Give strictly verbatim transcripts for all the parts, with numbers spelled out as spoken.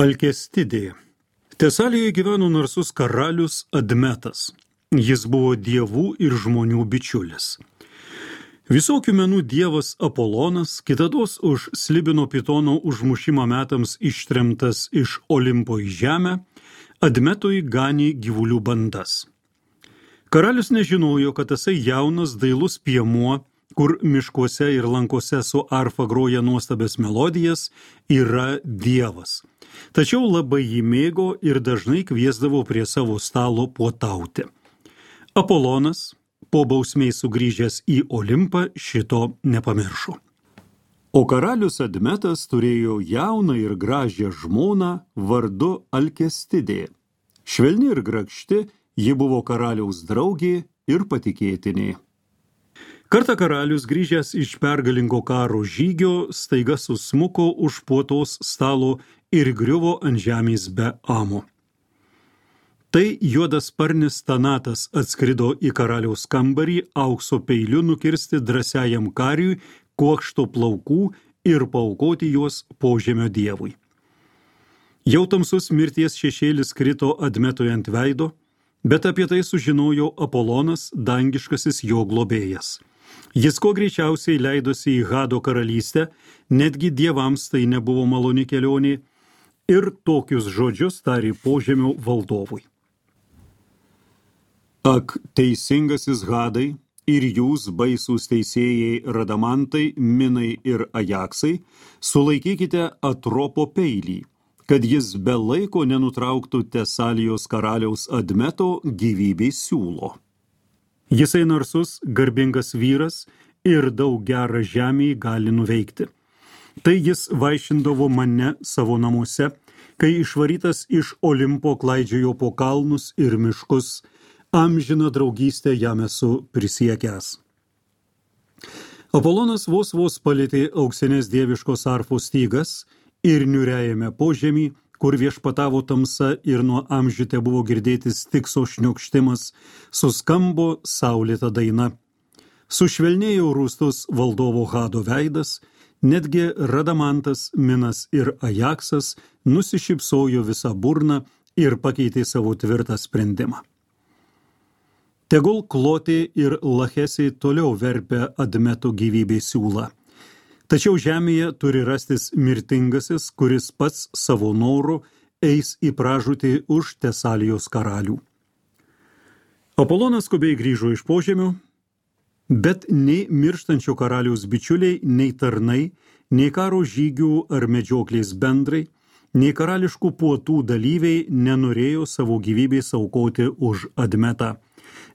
Alkestidė. Tesalijoje gyveno narsus karalius Admetas. Jis buvo dievų ir žmonių bičiulis. Visokių menų dievas Apolonas, kitados už Slibino Pitono užmušimą metams ištremtas iš Olimpo į žemę, Admetui ganė gyvulių bandas. Karalius nežinojo, kad tasai jaunas dailus piemuo, kur miškuose ir lankose su arfa groja nuostabias melodijas, yra dievas. Tačiau labai jį mėgo ir dažnai kviesdavo prie savo stalo puotauti. Apolonas, po bausmės sugrįžęs į Olimpą, šito nepamiršo. O karalius Admetas turėjo jauną ir gražią žmoną vardu Alkestidė. Švelni ir grakšti, ji buvo karaliaus draugė ir patikėtinė. Kartą karalius, grįžęs iš pergalingo karo žygio, staiga susmuko už puotos stalo ir griuvo ant žemės be amo. Tai juodasparnis Tanatas atskrido į karaliaus kambarį aukso peiliu nukirsti drąsiajam kariui kuokšto plaukų ir paaukoti juos požemio dievui. Jau tamsus mirties šešėlis krito Admetui ant veido, bet apie tai sužinojo Apolonas, dangiškasis jo globėjas. Jis kuo greičiausiai leidosi į Hado karalystę, netgi dievams tai nebuvo maloni kelionė, ir tokius žodžius tarė požemio valdovui. Ak, teisingasis Hadai ir jūs baisūs teisėjai Radamantai, Minai ir Ajaksai, sulaikykite Atropo peilį, kad jis be laiko nenutrauktų Tesalijos karaliaus Admeto gyvybės siūlo. Jisai narsus, garbingas vyras ir daug gerą žemį gali nuveikti. Tai jis vaišindavo mane savo namuose, kai išvarytas iš Olimpo klaidžiojo po kalnus ir miškus, amžiną draugystę jam esu prisiekęs. Apolonas vos vos palėtė auksinės dieviškos arfos stygas ir niūriajame požemį, kur viešpatavo tamsa ir nuo amžių tebuvo girdėtis tikso šniokštimas, suskambo saulėta daina. Sušvelnėjo rūstus valdovo Hado veidas, netgi Radamantas, Minas ir Ajaksas nusišypsojo visą burną ir pakeitė savo tvirtą sprendimą. Tegul Klotė ir Lachesiai toliau verpia Admeto gyvybės siūlą. Tačiau žemėje turi rastis mirtingasis, kuris pats savo noru eis į pražūtį už Tesalijos karalių. Apolonas skubiai grįžo iš požemio, bet nei mirštančio karaliaus bičiuliai, nei tarnai, nei karo žygių ar medžioklės bendrai, nei karališkų puotų dalyviai nenorėjo savo gyvybės aukoti už Admetą.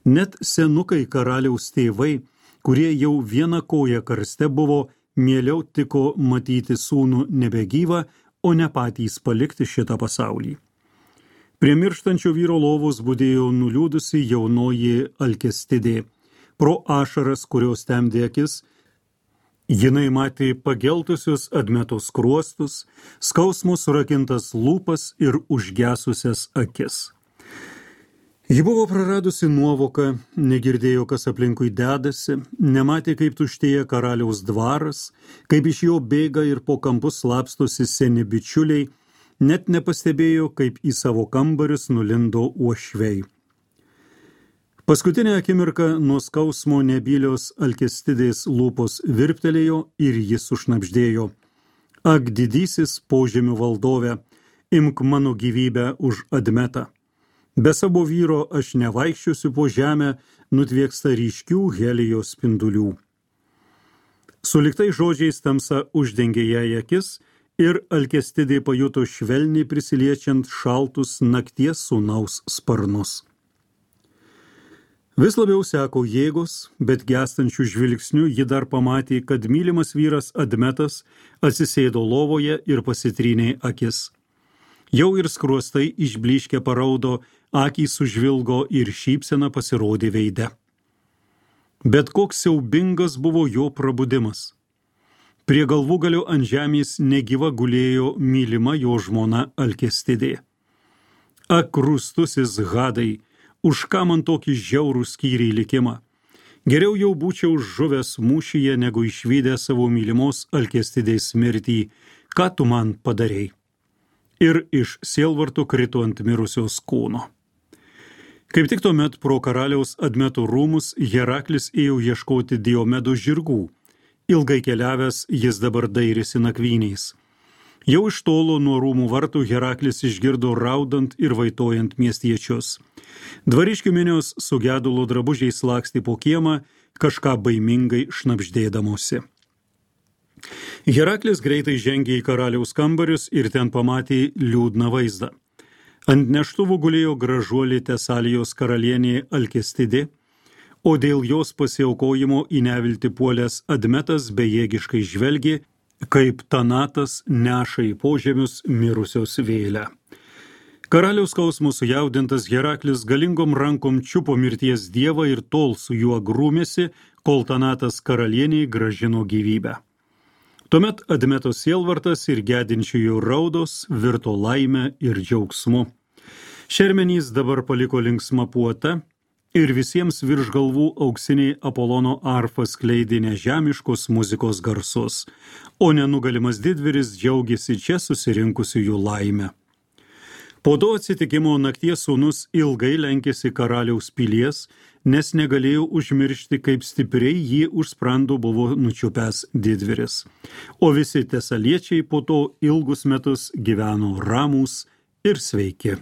Net senukai karaliaus tėvai, kurie jau vieną koją karste buvo, mieliau tiko matyti sūnų nebegyvą, o ne patys palikti šitą pasaulį. Prie mirštančio vyro lovos budėjo nuliūdusi jaunoji Alkestidė. Pro ašaras, kurios temdė akis, jinai matė pageltusius Admeto skruostus, skausmo surakintas lūpas ir užgesusias akis. Ji buvo praradusi nuovoką, negirdėjo, kas aplinkui dedasi, nematė, kaip tuštėja karaliaus dvaras, kaip iš jo bėga ir po kampus slapstosi seni bičiuliai, net nepastebėjo, kaip į savo kambarius nulindo uošviai. Paskutinę akimirką nuo skausmo nebylios Alkestidės lūpos virptelėjo ir jis sušnabždėjo. Ak, didysis požemių valdove, imk mano gyvybę už Admetą. Be savo vyro aš nevaikščiosiu po žemę, nutvieksta ryškių helijos spindulių. Suliktai žodžiais tamsa uždengė jai akis ir Alkestidė pajuto švelniai prisiliečiant šaltus nakties sūnaus sparnus. Vis labiau seko jėgos, bet gęstančių žvilgsnių ji dar pamatė, kad mylimas vyras Admetas atsisėdo lovoje ir pasitrynė akis. Jau ir skruostai išblyškę paraudo, akys sužvilgo ir šypsena pasirodė veide. Bet koks siaubingas buvo jo prabudimas. Prie galvūgalio ant žemės negyva gulėjo mylima jo žmona Alkestidė. Ak, rūstusis Hadai, už ką man tokį žiaurų skyrį likimą? Geriau jau būčiau žuvęs mūšyje, negu išvydę savo mylimos Alkestidės mirtį. Ką tu man padarei? ir iš sielvarto krito ant mirusios kūno. Kaip tik tuomet pro karaliaus Admeto rūmus Heraklis ėjo ieškoti Diomedo žirgų. Ilgai keliavęs jis dabar dairėsi nakvyniais. Jau iš tolo nuo rūmų vartų Heraklis išgirdo raudant ir vaitojant miestiečius. Dvariškių minios su gedulo drabužiais lakstė po kiemą, kažką baimingai šnabždėdamosi. Heraklis greitai žengė į karaliaus kambarius ir ten pamatė liūdną vaizdą. Ant neštuvų gulėjo gražuolė Tesalijos karalienė Alkestidė, o dėl jos pasiaukojimo į neviltį puolęs Admetas bejėgiškai žvelgė, kaip Tanatas neša į požemius mirusios vėlę. Karaliaus skausmo sujaudintas Heraklis galingom rankom čiupo mirties dievą ir tol su juo grūmėsi, kol Tanatas karalieniai grąžino gyvybę. Tuomet Admeto sielvartas ir gedinčiųjų raudos virto laime ir džiaugsmu. Šermenys dabar paliko linksmą puotą ir visiems virš galvų auksiniai Apolono arfa skleidė nežemiškos muzikos garsus, o nenugalimas didvyris džiaugiasi čia susirinkusiųjų laimę. Po to atsitikimo nakties sūnus ilgai lenkėsi karaliaus pilies, nes negalėjo užmiršti, kaip stipriai jį už sprando buvo nučiupęs didvyris. O visi tesaliečiai po to ilgus metus gyveno ramūs ir sveiki.